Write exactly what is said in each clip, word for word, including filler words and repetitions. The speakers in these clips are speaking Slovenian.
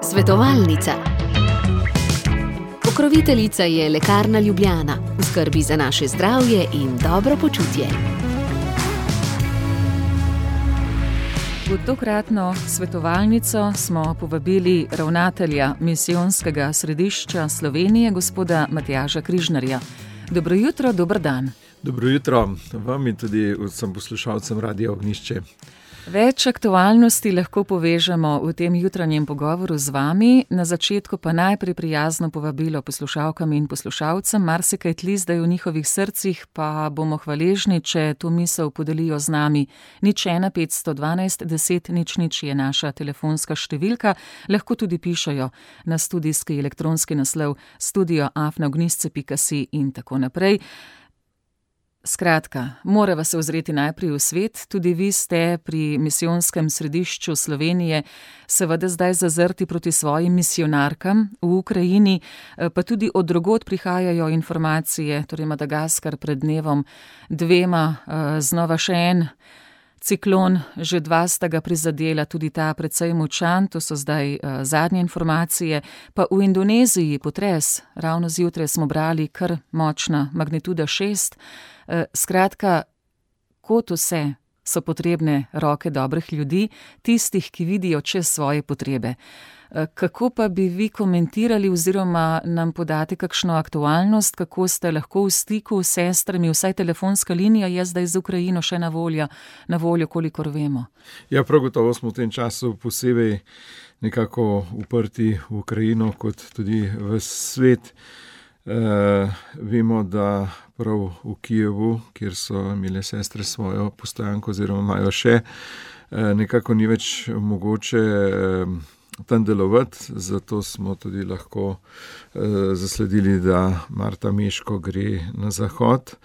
Svetovalnica. Pokroviteljica je Lekarna Ljubljana, v skrbi za naše zdravje in dobro počutje. V tokratno svetovalnico smo povabili ravnatelja Misijonskega središča Slovenije, gospoda Matjaža Križnarja. Dobro jutro, dober dan. Dobro jutro vam in tudi vsem poslušalcem Radia Ognjišče. Več aktualnosti lahko povežemo v tem jutranjem pogovoru z vami. Na začetku pa najprej prijazno povabilo poslušalkam in poslušalcem. Marsikaj tli zdaj v njihovih srcih, pa bomo hvaležni, če to misel podelijo z nami. Nič ena petsto dvanajst deset nič nič je naša telefonska številka. Lahko tudi pišejo na studijski elektronski naslov studio afna ognjišče pika si in tako naprej. Skratka, morava se ozreti najprej v svet. Tudi vi ste pri Misijonskem središču Slovenije seveda zdaj zazrti proti svojim misijonarkam v Ukrajini, pa tudi od drugod prihajajo informacije, torej Madagaskar pred dnevom dvema, znova še en ciklon, že dva sta ga prizadela, tudi ta precej močan, to so zdaj uh, zadnje informacije, pa v Indoneziji potres, ravno zjutraj smo brali kar močna magnituda šest. Uh, skratka, kot vse so potrebne roke dobrih ljudi, tistih, ki vidijo čez svoje potrebe. Kako pa bi vi komentirali oziroma nam podate kakšno aktualnost, kako ste lahko v stiku s sestrami, vsaj telefonska linija je zdaj z Ukrajino še na voljo, na voljo, kolikor vemo? Ja, prav gotovo smo v tem času posebej nekako uprti v Ukrajino, kot tudi v svet. E, vemo, da prav v Kijevu, kjer so imele sestre svojo postojanko oziroma imajo še, e, nekako ni več mogoče e, tam delovati, zato smo tudi lahko eh, zasledili, da Marta Meško gre na zahod.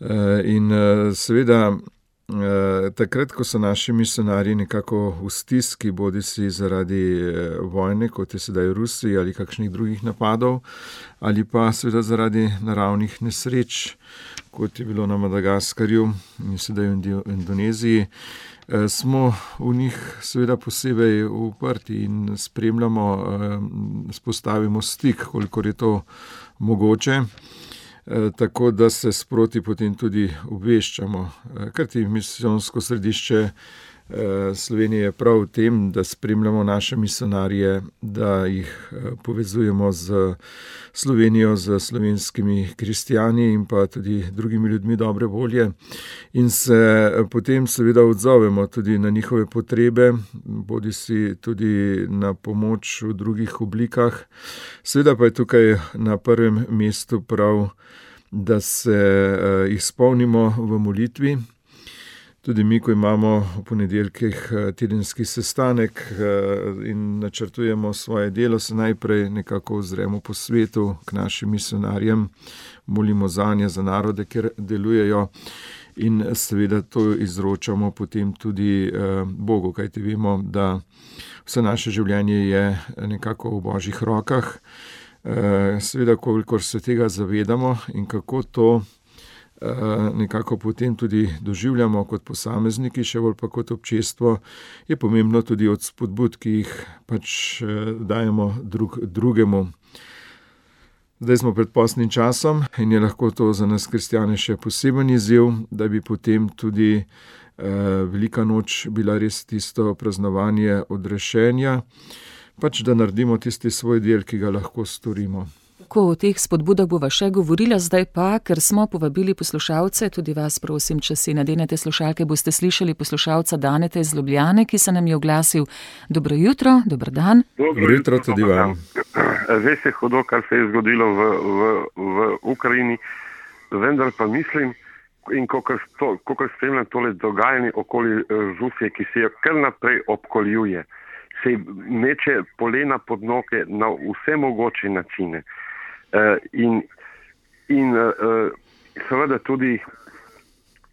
Eh, in eh, seveda eh, takrat, ko so naši misionarji nekako v stiski, bodi si zaradi eh, vojne, kot je sedaj v Rusiji, ali kakšnih drugih napadov, ali pa seveda zaradi naravnih nesreč, kot je bilo na Madagaskarju in sedaj v Indoneziji, smo v njih seveda posebej uprti in spremljamo, spostavimo stik, kolikor je to mogoče, tako da se sproti potem tudi obveščamo. Kajti Misijonsko središče Slovenije je prav v tem, da spremljamo naše misionarje, da jih povezujemo z Slovenijo, z slovenskimi kristjani in pa tudi drugimi ljudmi dobre volje in se potem seveda odzovemo tudi na njihove potrebe, bodi si tudi na pomoč v drugih oblikah. Seveda pa je tukaj na prvem mestu prav, da se jih spomnimo v molitvi. Tudi mi, ko imamo v ponedeljkih tedenski sestanek in načrtujemo svoje delo, se najprej nekako ozremo po svetu k našim misionarjem, molimo zanje, za narode, kjer delujejo in seveda to izročamo potem tudi Bogu, kajti vemo, da vse naše življenje je nekako v Božjih rokah. Seveda, kolikor se tega zavedamo in kako to nekako potem tudi doživljamo kot posamezniki, še bolj pa kot občestvo, je pomembno tudi od spodbud, ki jih pač dajemo drug, drugemu. Zdaj smo pred postnim časom in je lahko to za nas kristjane še poseben izziv, da bi potem tudi eh, velika noč bila res tisto praznovanje odrešenja, pač da naredimo tisti svoj del, ki ga lahko storimo. Ko o teh spodbudah bova še govorila, zdaj pa, ker smo povabili poslušalce, tudi vas prosim, če si nadenete slušalke, boste slišali poslušalca Daneta iz Ljubljane, ki se nam je oglasil. Dobro jutro, dober dan. Dobro jutro tudi vam. Res je hudo, kar se je zgodilo v, v, v Ukrajini, vendar pa mislim, in kokor spremljam tole dogajanje okoli Rusije, ki se jo kar naprej obkoljuje, se meče polena pod noge na vse mogoče načine. Uh, in in uh, seveda tudi,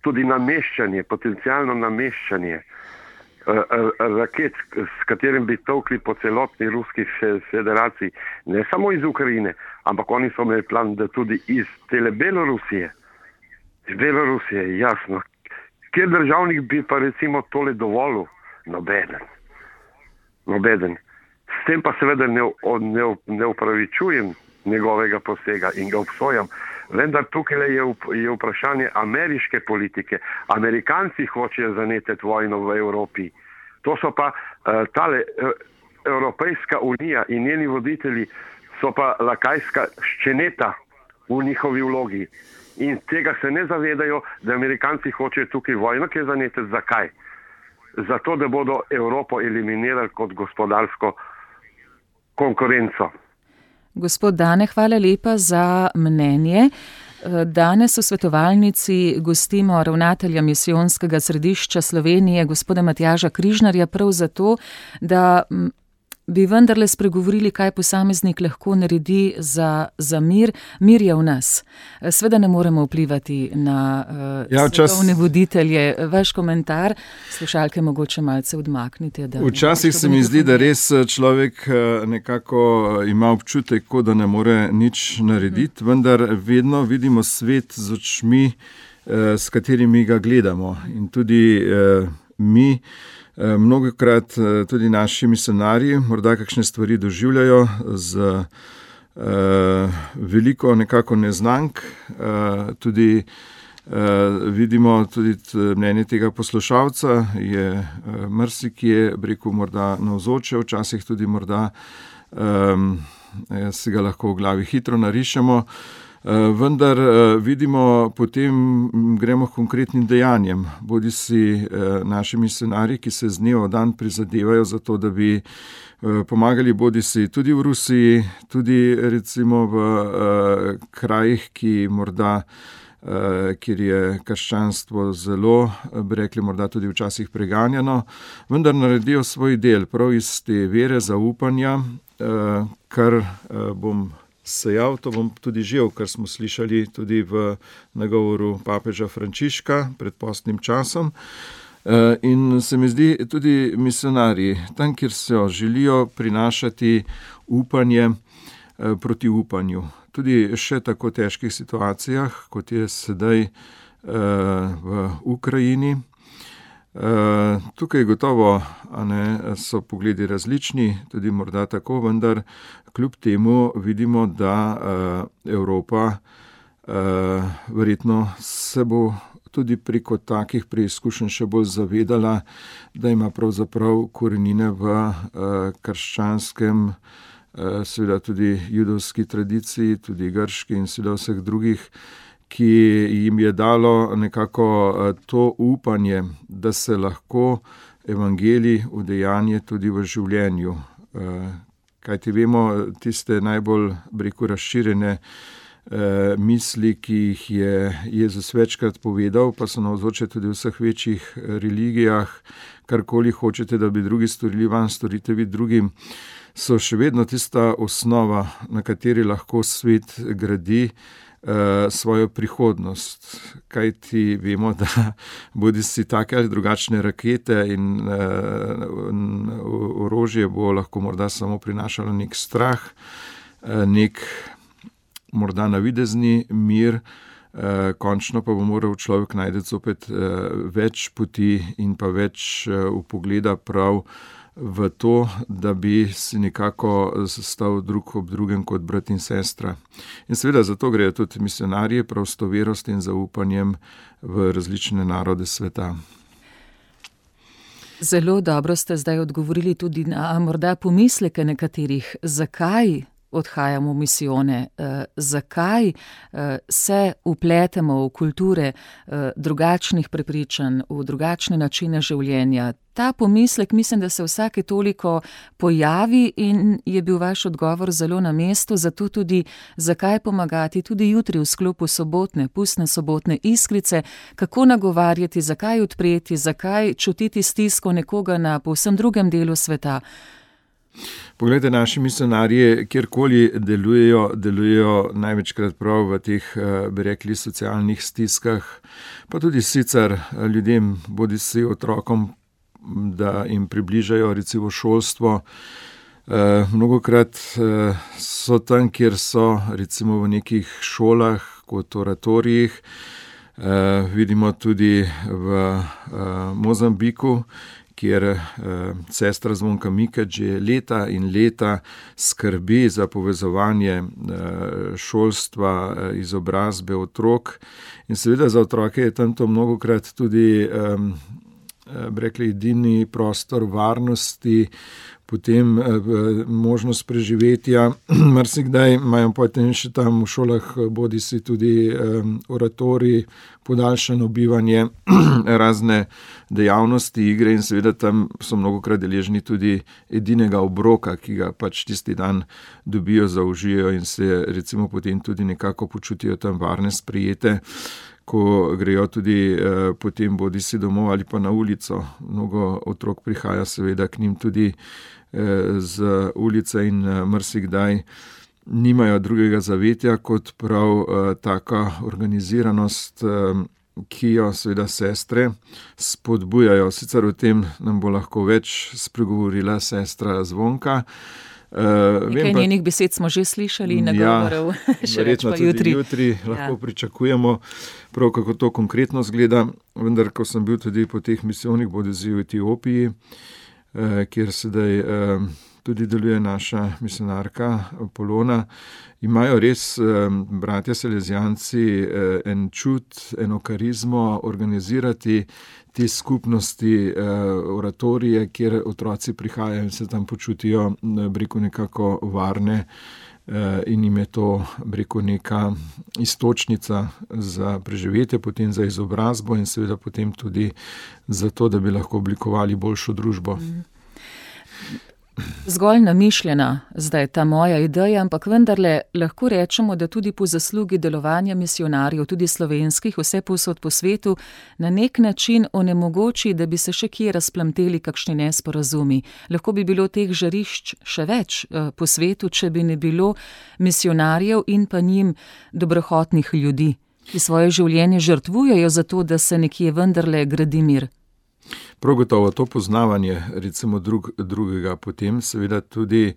tudi nameščanje, potencialno nameščanje uh, uh, raket, s katerim bi tolkli po celotni Ruski federaciji, ne samo iz Ukrajine, ampak oni so imeli plan, da tudi iz tele Belorusije, iz Belorusije, jasno. Kjer državnik bi pa recimo tole dovolil? Nobeden. Nobeden. S tem pa seveda ne, ne, ne upravičujem njegovega posega in ga obsojam. Vendar tukaj je, je vprašanje ameriške politike. Amerikanci hočejo zanetiti vojno v Evropi. To so pa uh, tale uh, Evropejska unija in njeni voditelji so pa lakajska ščeneta v njihovi vlogi. In tega se ne zavedajo, da Amerikanci hočejo tukaj vojno, ki je zanetiti. Zakaj? Zato, da bodo Evropo eliminirali kot gospodarsko konkurenco. Gospod Dane, hvala lepa za mnenje. Danes v svetovalnici gostimo ravnatelja Misijonskega središča Slovenije, gospoda Matjaža Križnarja, prav zato, da bi vendarle spregovorili, kaj posameznik lahko naredi za, za mir. Mir je v nas. Sveda ne moremo vplivati na uh, ja, svetovne voditelje. Vaš komentar, slušalke mogoče malce odmaknite. Da Včasih se mi zdi, da res človek nekako ima občutek, kot da ne more nič narediti, hmm. vendar vedno vidimo svet z očmi, s katerimi ga gledamo. In tudi uh, mi, mnogokrat tudi naši misionarji morda kakšne stvari doživljajo z uh, veliko nekako neznank. Uh, tudi uh, vidimo tudi mnenje tega poslušalca, je uh, marsikje, rekel, morda navzoče, včasih tudi morda um, si ga lahko v glavi hitro narišemo. Vendar vidimo, potem gremo k konkretnim dejanjem. Bodi si naši misionarji, ki se z dneva v dan prizadevajo za to, da bi pomagali bodi si tudi v Rusiji, tudi recimo v krajih, ki morda, kjer je krščanstvo zelo, bi rekli, morda tudi včasih preganjano, vendar naredijo svoj del prav iz te vere, zaupanja, kar bom sejal, to bom tudi živel, kar smo slišali tudi v nagovoru papeža Frančiška pred postnim časom. In se mi zdi, tudi misionarji, tam, kjer se želijo prinašati upanje proti upanju, tudi še tako težkih situacijah, kot je sedaj v Ukrajini. Uh, tukaj gotovo a ne, so pogledi različni, tudi morda tako, vendar kljub temu vidimo, da uh, Evropa uh, verjetno se bo tudi preko takih preizkušenj še bolj zavedala, da ima pravzaprav korenine v uh, krščanskem, uh, seveda tudi judovski tradiciji, tudi grški in seveda vseh drugih, ki jim je dalo nekako to upanje, da se lahko evangelij udejanje tudi v življenju. Kajti vemo, tiste najbolj, rekel, razširjene misli, ki jih je Jezus večkrat povedal, pa so navzoče tudi v vseh večjih religijah, karkoli hočete, da bi drugi storili vam, storite vi drugim, so še vedno tista osnova, na kateri lahko svet gradi svojo prihodnost, kajti vemo, da bodi si take ali drugačne rakete in orožje bo lahko morda samo prinašalo nek strah, nek morda navidezni mir, končno pa bo moral človek najti zopet več poti in pa več vpogleda prav v to, da bi si nekako stal drug ob drugem kot brat in sestra. In seveda zato grejo tudi misionarji prav s to verost in zaupanjem v različne narode sveta. Zelo dobro ste zdaj odgovorili tudi na morda pomisleke nekaterih, zakaj odhajamo v misijone, eh, zakaj eh, se upletemo v kulture eh, drugačnih prepričanj, v drugačne načine življenja. Ta pomislek mislim, da se vsake toliko pojavi in je bil vaš odgovor zelo na mestu, zato tudi zakaj pomagati tudi jutri v sklopu sobotne, pustne sobotne iskrice, kako nagovarjati, zakaj odpreti, zakaj čutiti stisko nekoga na povsem drugem delu sveta. Poglejte, naši misionarji, kjerkoli delujejo, delujejo največkrat prav v teh, bi rekli, socialnih stiskah, pa tudi sicer ljudem, bodi si otrokom, da jim približajo recimo šolstvo. E, mnogokrat e, so tam, kjer so recimo v nekih šolah, kot oratorijih, e, vidimo tudi v e, Mozambiku, kjer eh, sestra Zvonka Mikač že leta in leta skrbi za povezovanje eh, šolstva, eh, izobrazbe otrok. In seveda za otroke je tam to mnogokrat tudi eh, rekli, edini prostor varnosti, potem eh, možnost preživetja. Marsikdaj imajo potem še tam v šolah bodi si tudi eh, oratorij, podaljšano bivanje, razne dejavnosti, igre in seveda tam so mnogokrat deležni tudi edinega obroka, ki ga pač tisti dan dobijo, zaužijo in se recimo potem tudi nekako počutijo tam varne, sprejete, ko grejo tudi eh, potem bodi si domov ali pa na ulico. Mnogo otrok prihaja seveda k njim tudi eh, z ulice in eh, marsikdaj nimajo drugega zavetja kot prav eh, taka organiziranost, eh, ki jo seveda sestre spodbujajo. Sicer o tem nam bo lahko več spregovorila sestra Zvonka. Uh, Nekaj pa, njenih besed smo že slišali in nagovorov, ja, še več pa jutri. Jutri lahko ja. pričakujemo prav, kako to konkretno zgleda, vendar ko sem bil tudi po teh misijonih, bodisi v Etiopiji, eh, kjer sedaj eh, tudi deluje naša misionarka Polona, imajo res eh, bratje Salezijanci eh, en čut, eno karizmo organizirati te skupnosti, eh, oratorije, kjer otroci prihajajo in se tam počutijo, breko, nekako varne eh, in jim je to, breko, neka istočnica za preživetje, potem za izobrazbo in seveda potem tudi za to, da bi lahko oblikovali boljšo družbo. Mm. Zgolj namišljena zdaj ta moja ideja, ampak vendarle lahko rečemo, da tudi po zaslugi delovanja misionarjev, tudi slovenskih, vse povsod po svetu, na nek način onemogoči, da bi se še kje razplamteli kakšni nesporazumi. Lahko bi bilo teh žarišč še več eh, po svetu, če bi ne bilo misionarjev in pa njim dobrohotnih ljudi, ki svoje življenje žrtvujejo za to, da se nekje vendarle gradi mir. Prav gotovo to poznavanje recimo drug, drugega potem, seveda tudi,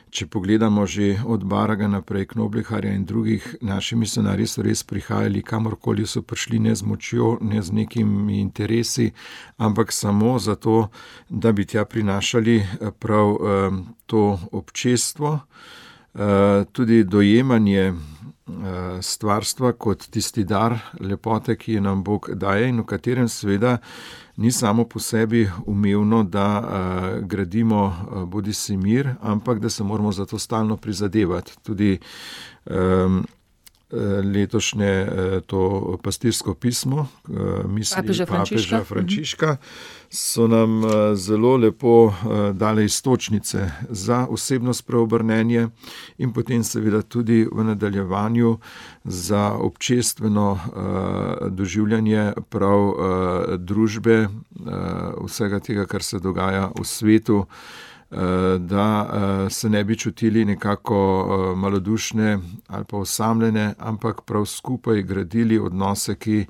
če pogledamo že od Baraga naprej, Knobleharja in drugih, naši misionarji so res prihajali, kamorkoli so prišli, ne z močjo, ne z nekimi interesi, ampak samo zato, da bi tja prinašali prav um, to občestvo, uh, tudi dojemanje stvarstva kot tisti dar lepote, ki je nam Bog daje in v katerem seveda ni samo po sebi umevno, da uh, gradimo uh, bodisi mir, ampak da se moramo za to stalno prizadevati. Tudi um, letošnje to pastirsko pismo misli papeža Frančiška. papeža Frančiška so nam zelo lepo dale istočnice za osebno spreobrnenje in potem seveda tudi v nadaljevanju za občestveno doživljanje prav družbe, vsega tega, kar se dogaja v svetu, da se ne bi čutili nekako malodušne ali pa osamljene, ampak prav skupaj gradili odnose, ki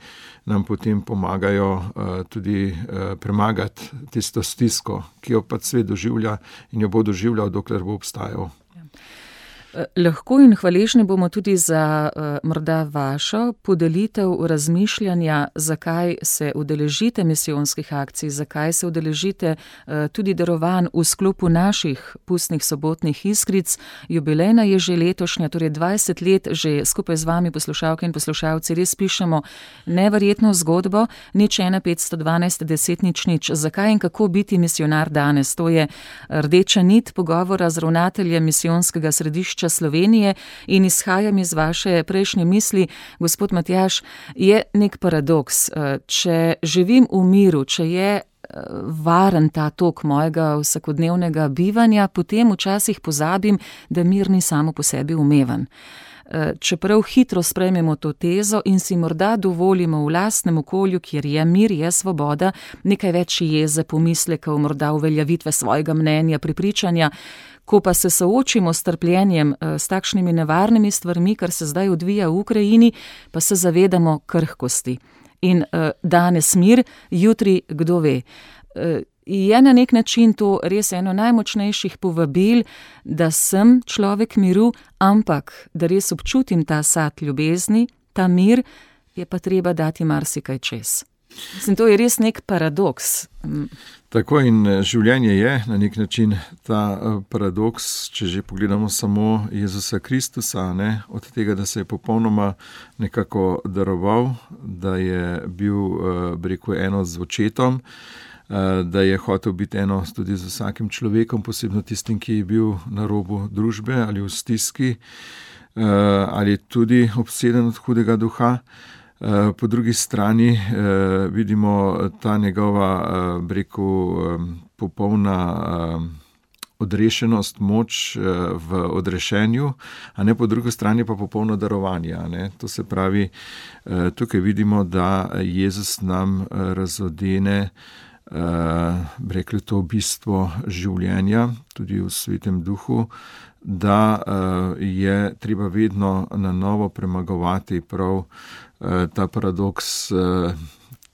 nam potem pomagajo tudi premagati tisto stisko, ki jo pa svet doživlja in jo bo doživljal, dokler bo obstajal. Lahko in hvaležni bomo tudi za uh, morda vašo podelitev razmišljanja, zakaj se udeležite misijonskih akcij, zakaj se udeležite uh, tudi darovanj v sklopu naših pustnih sobotnih iskric. Jubilejna je že letošnja, torej dvajset let že skupaj z vami, poslušalke in poslušalci, res pišemo neverjetno zgodbo, nič ena petsto dvanajst deset nič nič. Zakaj in kako biti misijonar danes? To je rdeča nit pogovora z ravnateljem misijonskega središča Slovenije in izhajam iz vaše prejšnje misli, gospod Matjaž, je nek paradoks. Če živim v miru, če je varen ta tok mojega vsakodnevnega bivanja, potem včasih pozabim, da mir ni samo po sebi umeven. Čeprav hitro sprejmemo to tezo in si morda dovolimo v lastnem okolju, kjer je mir, je svoboda, nekaj več jeze, pomislekov, morda uveljavitve svojega mnenja, prepričanja, ko pa se soočimo s trpljenjem, s takšnimi nevarnimi stvarmi, kar se zdaj odvija v Ukrajini, pa se zavedamo krhkosti. In danes mir, jutri kdo ve. Je na nek način to res eno najmočnejših povabil, da sem človek miru, ampak da res občutim ta sad ljubezni, ta mir, je pa treba dati marsikaj čez. Mislim, to je res nek paradoks. Tako in življenje je na nek način ta paradoks, če že pogledamo samo Jezusa Kristusa, ne, od tega, da se je popolnoma nekako daroval, da je bil, bi rekel, eno z očetom, da je hotel biti eno tudi z vsakim človekom, posebno tistim, ki je bil na robu družbe ali v stiski, ali tudi obseden od hudega duha. Po drugi strani eh, vidimo ta njegova, eh, bi rekel, eh, popolna eh, odrešenost, moč eh, v odrešenju, a ne po drugi strani pa popolno darovanje. Ne? To se pravi, eh, tukaj vidimo, da Jezus nam eh, razodene, eh, bi rekli, to bistvo življenja, tudi v Svetem duhu, da eh, je treba vedno na novo premagovati prav ta paradoks,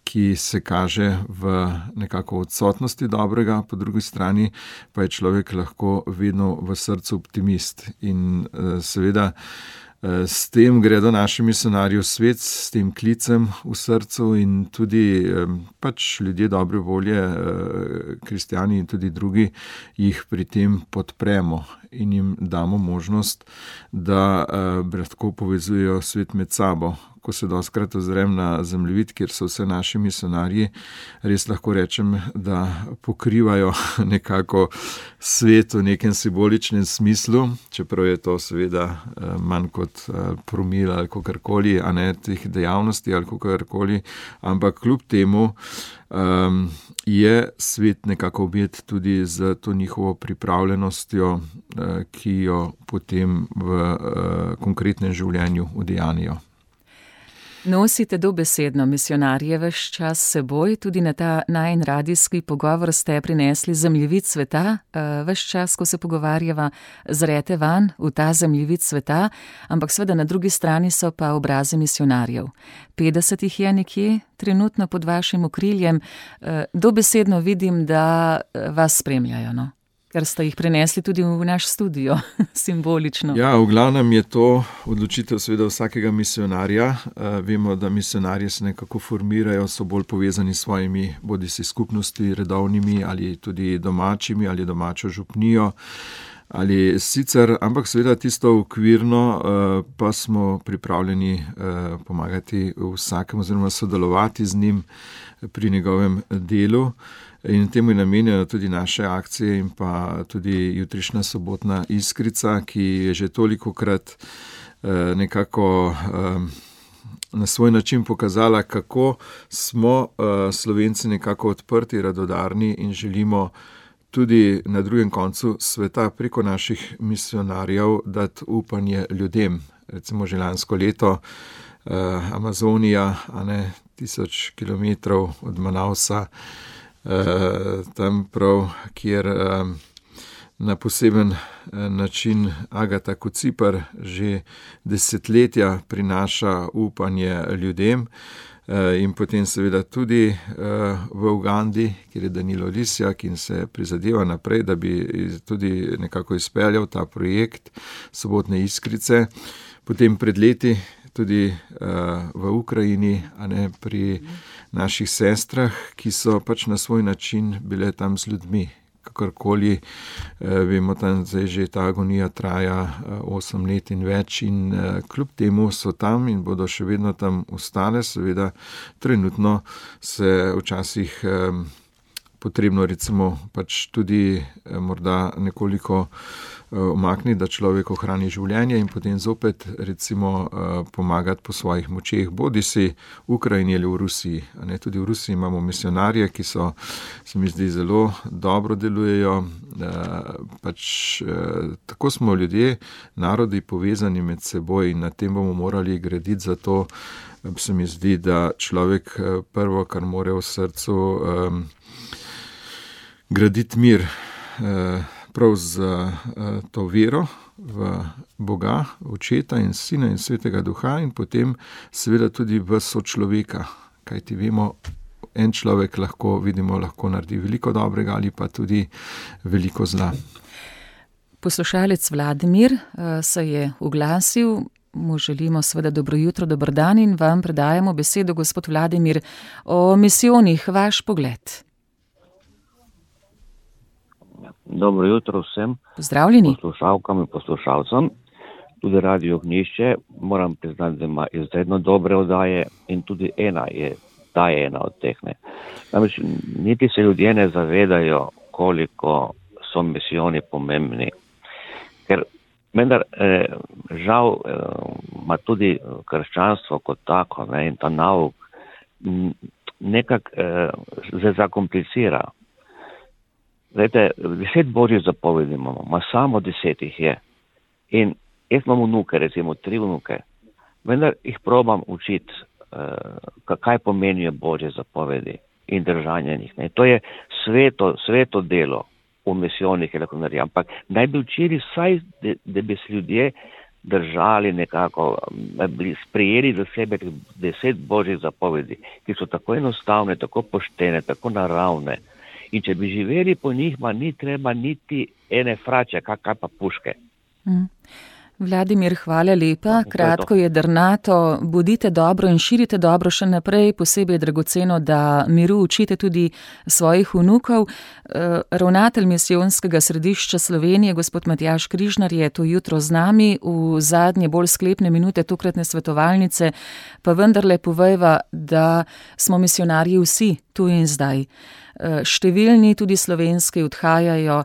ki se kaže v nekako odsotnosti dobrega, po drugi strani pa je človek lahko vedno v srcu optimist. In seveda s tem gredo naši misionarji v svet, s tem klicem v srcu in tudi pač ljudje dobre volje, kristjani in tudi drugi, jih pri tem podpremo in jim damo možnost, da lahko povezujejo svet med sabo. Ko se doskrat ozrem na zemljevid, kjer so vse naši misionarji, res lahko rečem, da pokrivajo nekako svet v nekem simboličnem smislu, čeprav je to seveda manj kot promil ali kakorkoli, a ne teh dejavnosti ali kakorkoli, ampak kljub temu um, je svet nekako objet tudi z to njihovo pripravljenostjo, uh, ki jo potem v uh, konkretnem življenju udejanijo. Nosite dobesedno misionarje ves čas seboj, tudi na ta najin radijski pogovor ste prinesli zemljevid sveta, ves čas, ko se pogovarjava, zrete van v ta zemljevid sveta, ampak seveda na drugi strani so pa obrazi misionarjev. petdeset jih je nekje, trenutno pod vašim okriljem, dobesedno vidim, da vas spremljajo, no? Ker ste jih prenesli tudi v naš studio, simbolično. Ja, v glavnem je to odločitev seveda vsakega misionarja. Uh, vemo, da misionarji se nekako formirajo, so bolj povezani s svojimi bodisi skupnosti redovnimi ali tudi domačimi ali domačo župnijo ali sicer, ampak seveda tisto okvirno uh, pa smo pripravljeni uh, pomagati vsakemu oziroma sodelovati z njim pri njegovem delu. In temu je namenjena tudi naše akcije in pa tudi jutrišnja sobotna Iskrica, ki je že tolikokrat eh, nekako eh, na svoj način pokazala, kako smo eh, Slovenci nekako odprti, radodarni in želimo tudi na drugem koncu sveta preko naših misionarjev dati upanje ljudem. Recimo že lansko leto eh, Amazonija, a ne tisoč kilometrov od Manausa, Uh, tam prav, kjer uh, na poseben uh, način Agata Kocipar že desetletja prinaša upanje ljudem uh, in potem seveda tudi uh, v Ugandi, kjer je Danilo Lisjak in se prizadeva naprej, da bi tudi nekako izpeljal ta projekt sobotne Iskrice. Potem pred leti tudi uh, v Ukrajini, a ne pri naših sestrah, ki so pač na svoj način bile tam z ljudmi. Kakorkoli, eh, vemo, tam zdaj že ta agonija traja eh, osem let in več in eh, kljub temu so tam in bodo še vedno tam ostale. Seveda trenutno se včasih eh, potrebno recimo pač tudi eh, morda nekoliko umakniti, da človek ohrani življenje in potem zopet recimo pomagati po svojih močeh, bodi si v Ukrajini ali v Rusiji. Ne, tudi v Rusiji imamo misionarje, ki so, se mi zdi, zelo dobro delujejo. Pač tako smo ljudje, narodi povezani med seboj in na tem bomo morali graditi, zato se mi zdi, da človek prvo, kar mora v srcu, graditi mir, prav z uh, to vero v Boga, Očeta in Sina in Svetega Duha in potem seveda tudi v sočloveka, kajti vemo, en človek lahko, vidimo, lahko naredi veliko dobrega ali pa tudi veliko zla. Poslušalec Vladimir uh, se je oglasil, mu želimo seveda dobro jutro, dober dan in vam predajamo besedo, gospod Vladimir, o misijonih, vaš pogled. Dobro jutro vsem. Pozdravljeni. Poslušalkam in poslušalcem. Tudi Radio Ognjišče, moram priznati, da ima izredno dobre oddaje in tudi ena je, ta je ena od teh. Ne. Namreč, niti se ljudje ne zavedajo, koliko so misijoni pomembni. Ker vendar eh, žal eh, ima tudi krščanstvo kot tako, ne, in ta nauk nekako eh, se zakomplicira. Zdajte, deset božjih zapovedi imamo, ma samo deset jih je. In jaz imam vnuke, recimo tri vnuke, vendar jih probam učiti, eh, kaj pomenijo božje zapovedi in držanje njih. Ne. To je sveto, sveto delo v misijonih, ampak naj bi učili vsaj, da, da bi se ljudje držali nekako, bi sprejeli za sebe deset božjih zapovedi, ki so tako enostavne, tako poštene, tako naravne. In če bi živeli po njih, ma ni treba niti ene frače, kaj, kaj pa puške. Mm. Vladimir, hvala lepa. Kratko je drnato. Bodite dobro in širite dobro še naprej. Posebej je dragoceno, da miru učite tudi svojih vnukov. Ravnatelj misijonskega središča Slovenije, gospod Matjaž Križnar, je to jutro z nami v zadnje bolj sklepne minute tokratne svetovalnice, pa vendarle povejva, da smo misionarji vsi tu in zdaj. Številni, tudi slovenski, odhajajo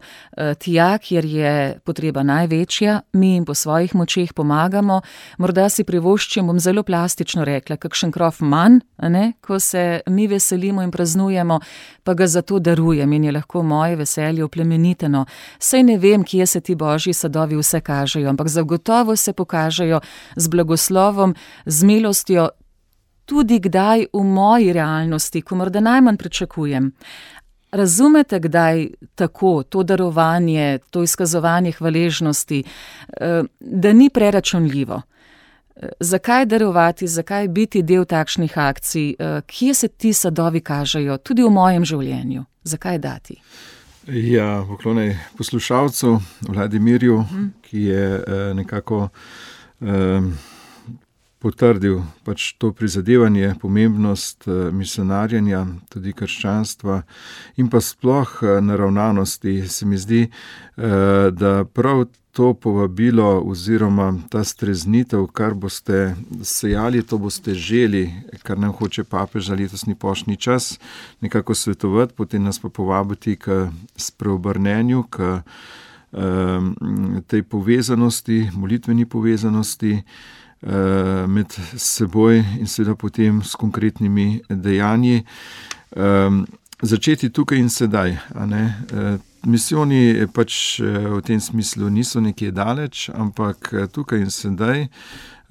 tja, kjer je potreba največja, mi jim po svojih močeh pomagamo. Morda si privoščim, bom zelo plastično rekla, kakšen krof manj, ne? Ko se mi veselimo in praznujemo, pa ga zato darujem in je lahko moje veselje oplemeniteno. Sej ne vem, kje se ti božji sadovi vse kažejo, ampak zagotovo se pokažejo z blagoslovom, z milostjo, tudi kdaj v moji realnosti, ko morda najmanj pričakujem. Razumete kdaj tako to darovanje, to izkazovanje hvaležnosti, da ni preračunljivo? Zakaj darovati, zakaj biti del takšnih akcij? Kje se ti sadovi kažejo, tudi v mojem življenju? Zakaj dati? Ja, poklonaj poslušalcu Vladimirju, hmm. ki je nekako um, potrdil pač to prizadevanje, pomembnost misionarjenja, tudi krščanstva in pa sploh naravnanosti. Se mi zdi, da prav to povabilo oziroma ta streznitev, kar boste sejali, to boste želi, kar nam hoče papež za letosni poštni čas nekako svetovati, potem nas pa povabiti k spreobrnenju, k um, tej povezanosti, molitveni povezanosti med seboj in seveda potem s konkretnimi dejanji. Um, začeti tukaj in sedaj. A ne? Uh, misijoni pač v tem smislu niso nekje daleč, ampak tukaj in sedaj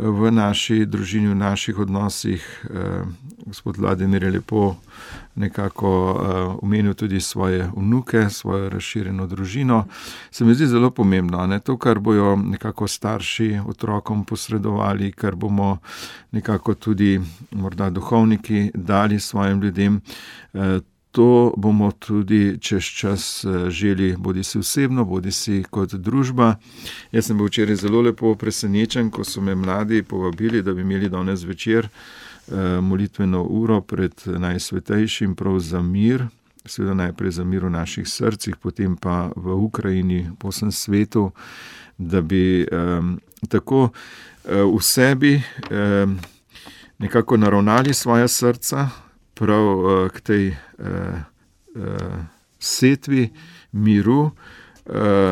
v naši družini, v naših odnosih. Uh, gospod Vladimir je lepo nekako omenil uh, tudi svoje vnuke, svojo razširjeno družino. Se mi zdi zelo pomembno, ne? To, kar bojo nekako starši otrokom posredovali, kar bomo nekako tudi morda duhovniki dali svojim ljudem, uh, to bomo tudi čez čas želi, bodi si osebno, bodi si kot družba. Jaz sem bil včeraj zelo lepo presenečen, ko so me mladi povabili, da bi imeli danes večer molitveno uro pred najsvetejšim prav za mir, seveda najprej za mir v naših srcih, potem pa v Ukrajini, po vsem svetu, da bi um, tako uh, v sebi um, nekako naravnali svoja srca prav uh, k tej uh, uh, setvi miru uh,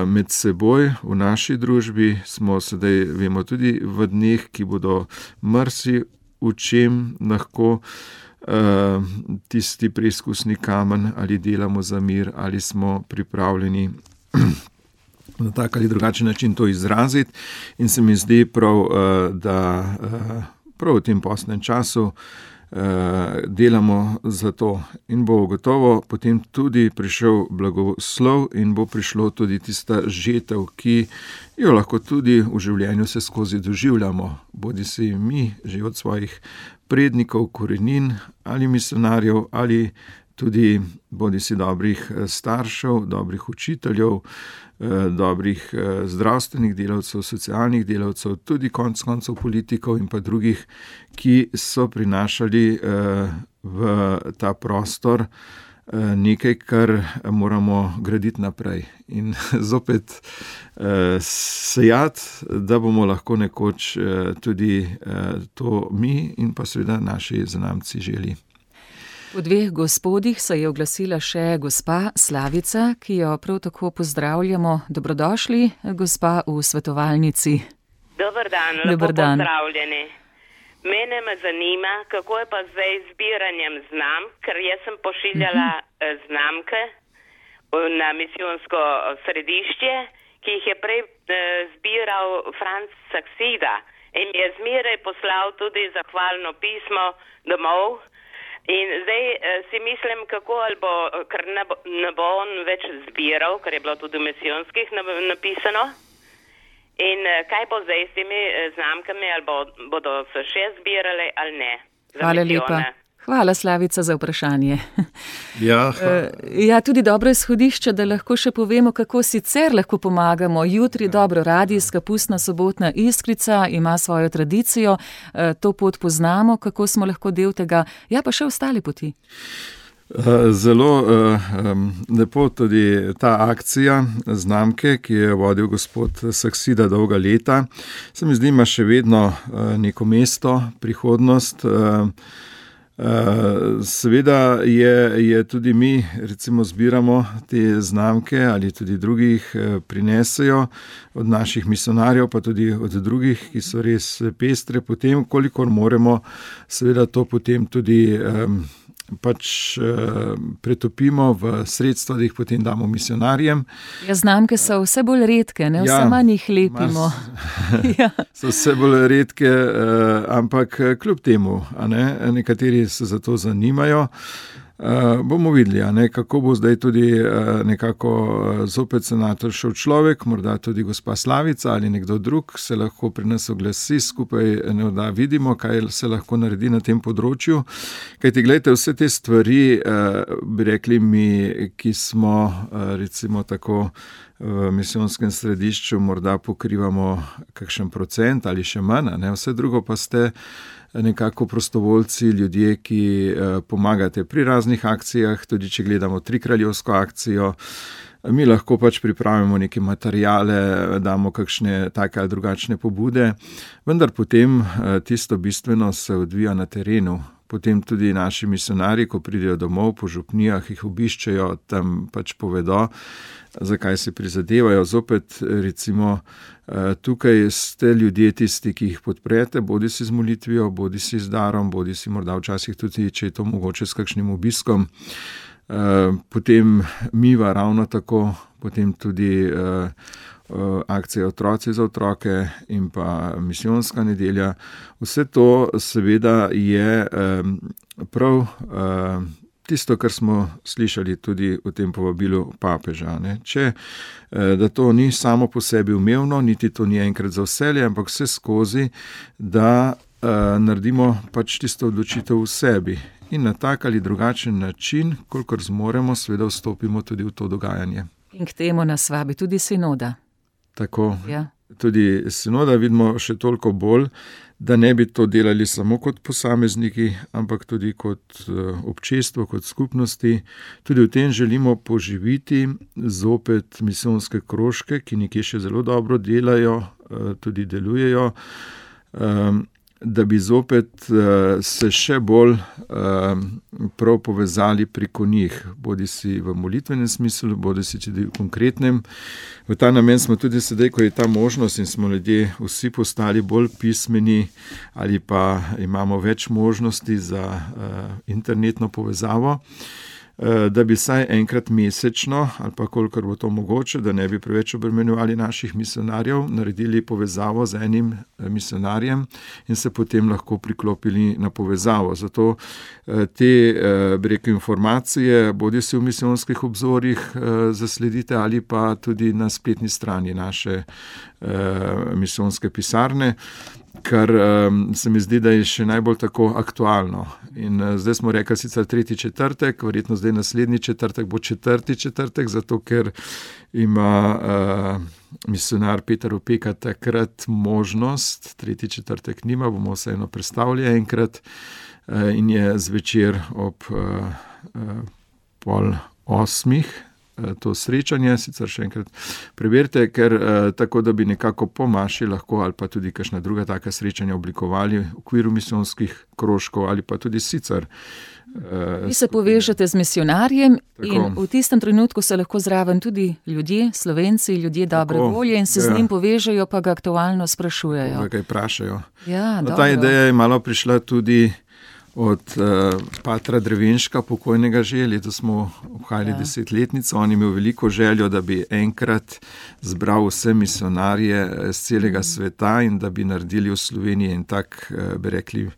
med seboj v naši družbi. Smo sedaj, vemo, tudi v dneh, ki bodo mrsi, v čem lahko uh, tisti preizkusni kamen ali delamo za mir, ali smo pripravljeni na tak ali drugačen način to izraziti. In se mi zdi prav, uh, da uh, prav v tem postnem času delamo za to in bo gotovo potem tudi prišel blagoslov in bo prišlo tudi tista žetev, ki jo lahko tudi v življenju se skozi doživljamo, bodi si mi že od svojih prednikov, korenin ali misionarjev ali tudi bodi si dobrih staršev, dobrih učiteljev, dobrih zdravstvenih delavcev, socialnih delavcev, tudi konec koncev politikov in pa drugih, ki so prinašali v ta prostor nekaj, kar moramo graditi naprej in zopet sejati, da bomo lahko nekoč tudi to mi in pa seveda naši zanamci želi. V dveh gospodih se je oglasila še gospa Slavica, ki jo prav tako pozdravljamo. Dobrodošli, gospa v svetovalnici. Dober dan, Dober lepo dan. pozdravljeni. Mene me zanima, kako je pa zdaj z zbiranjem znamk, ker jaz sem pošiljala uh-huh. znamke na misijonsko središče, ki jih je prej uh, zbiral Franc Saksida in mi je zmeraj poslal tudi zahvalno pismo domov. In zdaj uh, si mislim, kako ali bo, ker ne bo, ne bo on več zbiral, ker je bilo tudi v misijonskih napisano. In kaj bo zdaj s temi znamkami, ali bo, bodo se še zbirale ali ne? Hvala lepa. Hvala, Slavica, za vprašanje. Ja, ja, tudi dobro izhodišče, da lahko še povemo, kako sicer lahko pomagamo. Jutri ja. dobro radijska pustna sobotna Iskrica ima svojo tradicijo, to pot poznamo, kako smo lahko del tega, ja pa še ostale poti. Zelo um, lepo tudi ta akcija znamke, ki je vodil gospod Saksida dolga leta. Se mi zdi, ima še vedno uh, neko mesto, prihodnost. Uh, uh, seveda je, je tudi mi, recimo, zbiramo te znamke ali tudi drugih uh, prinesejo od naših misionarjev, pa tudi od drugih, ki so res pestre. Potem, kolikor moremo, seveda to potem tudi um, pač uh, pretopimo v sredstva, da jih potem damo misionarjem. Ja, znamke so vse bolj redke, ne? Vse ja, manj jih lepimo. Mas, ja. So vse bolj redke, uh, ampak kljub temu, a ne, nekateri se za to zanimajo. Uh, bomo videli, a ne, kako bo zdaj tudi uh, nekako uh, zopet se našel človek, morda tudi gospa Slavica ali nekdo drug, se lahko pri nas oglasi, skupaj ne da vidimo, kaj se lahko naredi na tem področju. Kajti, gledajte, vse te stvari, uh, bi rekli mi, ki smo uh, recimo tako v misijonskem središču, morda pokrivamo kakšen procent ali še manj, ne, vse drugo pa ste nekako prostovoljci, ljudje, ki eh, pomagate pri raznih akcijah, tudi če gledamo trikraljevsko akcijo, mi lahko pač pripravimo neke materijale, damo kakšne take ali drugačne pobude, vendar potem eh, tisto bistveno se odvija na terenu. Potem tudi naši misionari, ko pridejo domov po župnijah, jih obiščejo, tam pač povedo, zakaj se prizadevajo. Zopet, recimo, tukaj ste ljudje tisti, ki jih podprete, bodi si z molitvijo, bodi si z darom, bodi si morda včasih tudi, če je to mogoče s kakšnim obiskom. Potem miva ravno tako, potem tudi akcija Otroci za otroke in pa misijonska nedelja. Vse to seveda je prav tisto, kar smo slišali tudi v tem povabilu papeža. Ne? Če, da to ni samo po sebi umevno, niti to ni enkrat za vselje, ampak vse skozi, da naredimo pač tisto odločitev v sebi in na tak ali drugačen način, kolikor zmoremo, seveda vstopimo tudi v to dogajanje. In k temu nas vabi tudi sinoda. Tako, ja. Tudi sinoda vidimo še toliko bolj, da ne bi to delali samo kot posamezniki, ampak tudi kot občestvo, kot skupnosti. Tudi v tem želimo poživiti zopet misijonske krožke, ki nekje še zelo dobro delajo, tudi delujejo, da bi zopet se še bolj prav povezali preko njih, bodi si v molitvenem smislu, bodi si tudi v konkretnem. V ta namen smo tudi sedaj, ko je ta možnost in smo ljudje vsi postali bolj pismeni ali pa imamo več možnosti za internetno povezavo, da bi saj enkrat mesečno, ali pa kolikor bo to mogoče, da ne bi preveč obremenjevali naših misionarjev, naredili povezavo z enim misionarjem in se potem lahko priklopili na povezavo. Zato te, bi rekel, informacije, bodi si v misijonskih obzorjih zasledite ali pa tudi na spletni strani naše misijonske pisarne, kar um, se mi zdi, da je še najbolj tako aktualno. In uh, zdaj smo rekli sicer tretji četrtek, verjetno zdaj naslednji četrtek bo četrti četrtek, zato ker ima uh, misionar Peter Opeka takrat možnost, tretji četrtek nima, bomo vseeno predstavili enkrat uh, in je zvečer ob uh, uh, pol osmih to srečanje, sicer še enkrat preberite, ker tako, da bi nekako po maši lahko ali pa tudi kakšna druga taka srečanja oblikovali v okviru misijonskih krožkov ali pa tudi sicer. Vi se povežete z misionarjem in v tistem trenutku se lahko zraven tudi ljudje, Slovenci, ljudje dobre volje in se ja. z njim povežejo, pa ga aktualno sprašujejo. Kaj vprašajo. Ja, no, ta ideja je malo prišla tudi od uh, patra Drevenška, pokojnega že, leto smo obhajali ja. desetletnico, on je imel veliko željo, da bi enkrat zbral vse misionarje z celega mm. sveta in da bi naredili v Sloveniji en tak, uh, bi rekli,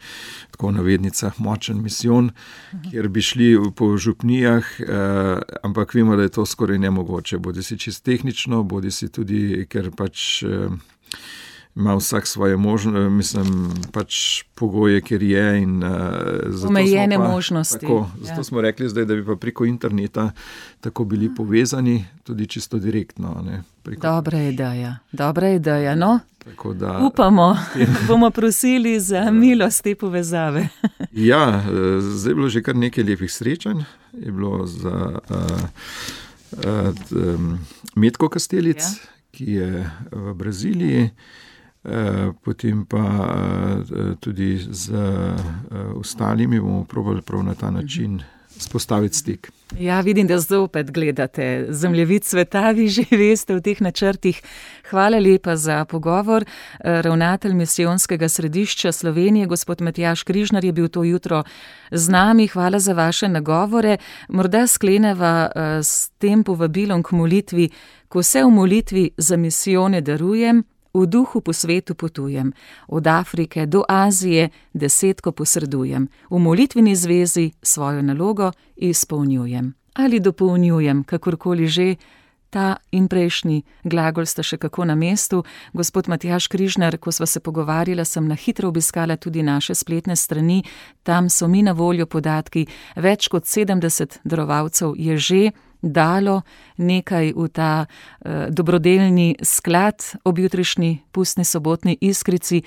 tako v navednicah, močen misijon, mm. kjer bi šli po župnijah, uh, ampak vemo, da je to skoraj nemogoče, bodi si čisto tehnično, bodi si tudi, ker pač uh, ima vsak svoje možnosti, mislim, pač pogoje, ker je in uh, zato omejene smo pa, možnosti. Tako, zato ja. smo rekli zdaj, da bi pa preko interneta tako bili povezani, tudi čisto direktno. Ne, preko... Dobra ideja, dobra ideja, no. Tako da, upamo, bomo prosili za milost te povezave. Ja, zdaj je bilo že kar nekaj lepih srečanj, je bilo za uh, uh, um, Metko Kastelic, ja. ki je v Braziliji, potem pa tudi z ostalimi bomo probali prav na ta način spostaviti stik. Ja, vidim, da zopet gledate zemljevid sveta, vi že veste v teh načrtih. Hvala lepa za pogovor. Ravnatelj misijonskega središča Slovenije, gospod Matjaž Križnar, je bil to jutro z nami. Hvala za vaše nagovore. Morda skleneva s tem povabilom k molitvi, ko se v molitvi za misijone darujem, v duhu po svetu potujem, od Afrike do Azije desetko posredujem, v molitveni zvezi svojo nalogo izpolnjujem. Ali dopolnjujem, kakorkoli že, ta in prejšnji glagol sta še kako na mestu. Gospod Matjaž Križnar, ko sva se pogovarjala, sem na hitro obiskala tudi naše spletne strani, tam so mi na voljo podatki, več kot sedemdeset darovalcev je že dalo nekaj v ta uh, dobrodelni sklad ob jutrišnji pustni sobotni iskrici.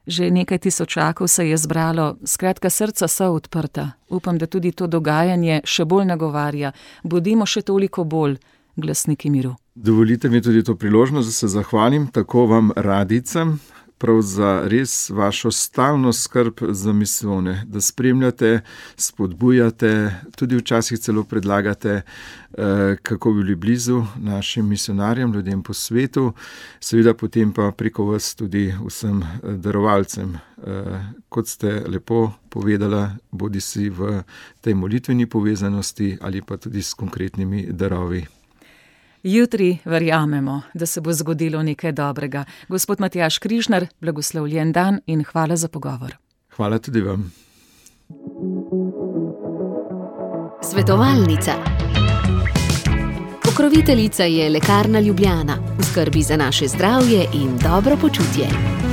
Že nekaj tisočakov se je zbralo, skratka srca so odprta. Upam, da tudi to dogajanje še bolj nagovarja. Bodimo še toliko bolj glasniki miru. Dovolite mi tudi to priložnost, da se zahvalim tako vam radicam, prav za res vašo stalno skrb za misijone, da spremljate, spodbujate, tudi včasih celo predlagate, kako bi bili blizu našim misionarjem, ljudem po svetu, seveda potem pa preko vas tudi vsem darovalcem. Kot ste lepo povedala, bodi si v tej molitveni povezanosti ali pa tudi s konkretnimi darovi. Jutri verjamemo, da se bo zgodilo nekaj dobrega. Gospod Matjaž Križnar, blagoslovljen dan in hvala za pogovor. Hvala tudi vam. Svetovalnica. Pokroviteljica je Lekarna Ljubljana. V skrbi za naše zdravje in dobro počutje.